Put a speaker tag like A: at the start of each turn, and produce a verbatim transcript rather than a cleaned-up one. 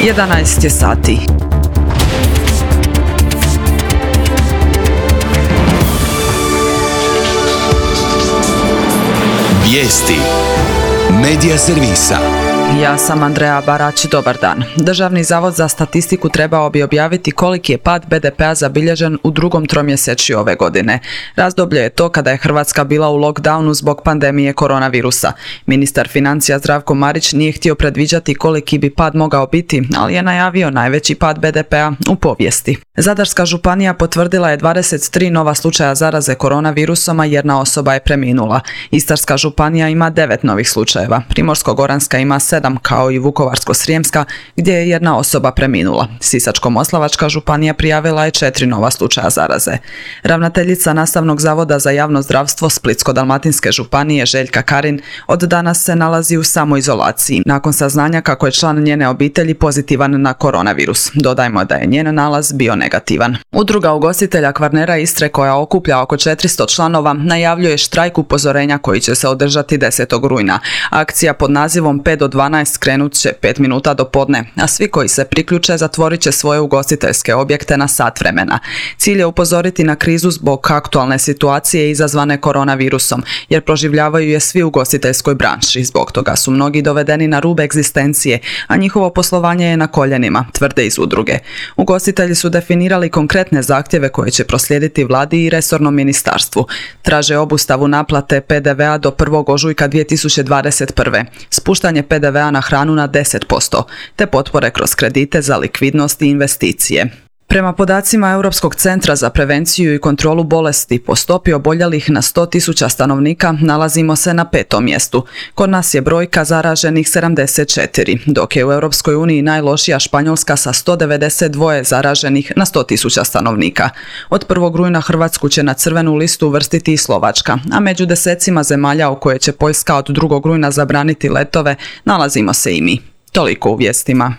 A: jedanaest je sati.
B: Vijesti Medija servisa.
A: Ja sam Andreja Barać, dobar dan. Državni zavod za statistiku trebao bi objaviti koliki je pad be de pea zabilježen u drugom tromjesečju ove godine. Razdoblje je to kada je Hrvatska bila u lockdownu zbog pandemije koronavirusa. Ministar financija Zdravko Marić nije htio predviđati koliki bi pad mogao biti, ali je najavio najveći pad be de pea u povijesti. Zadarska županija potvrdila je dvadeset tri nova slučaja zaraze koronavirusom, a jedna osoba je preminula. Istarska županija ima devet novih slučajeva. Primorsko-goranska ima sedam, kao i Vukovarsko-srijemska, gdje je jedna osoba preminula. Sisačko-moslavačka županija prijavila je četiri nova slučaja zaraze. Ravnateljica Nastavnog zavoda za javno zdravstvo Splitsko-dalmatinske županije Željka Karin od danas se nalazi u samoizolaciji, nakon saznanja kako je član njene obitelji pozitivan na koronavirus. Dodajmo da je njen nalaz bio negativan. Udruga ugostitelja Kvarnera Istre, koja okuplja oko četiristo članova, najavljuje štrajk upozorenja koji će se održati desetog rujna. Akcija pod nazivom pet do dvanaest krenut će pet minuta do podne, a svi koji se priključe zatvorit će svoje ugostiteljske objekte na sat vremena. Cilj je upozoriti na krizu zbog aktualne situacije izazvane koronavirusom, jer proživljavaju je svi u ugostiteljskoj branši. Zbog toga su mnogi dovedeni na rub egzistencije, a njihovo poslovanje je na koljenima, tvrde iz udruge. Ugostitelji su definirali konkretne zahtjeve koje će proslijediti vladi i resornom ministarstvu. Traže obustavu naplate pe de vea do prvog ožujka dvije tisuće dvadeset prve, spuštanje pe de vea na hranu na deset posto, te potpore kroz kredite za likvidnost i investicije. Prema podacima Europskog centra za prevenciju i kontrolu bolesti, po stopi oboljelih na sto tisuća stanovnika nalazimo se na petom mjestu. Kod nas je brojka zaraženih sedamdeset četiri, dok je u Europskoj uniji najlošija Španjolska sa sto devedeset dva zaraženih na sto tisuća stanovnika. Od prvog rujna Hrvatsku će na crvenu listu uvrstiti i Slovačka, a među desecima zemalja u koje će Poljska od drugog rujna zabraniti letove nalazimo se i mi. Toliko u vijestima.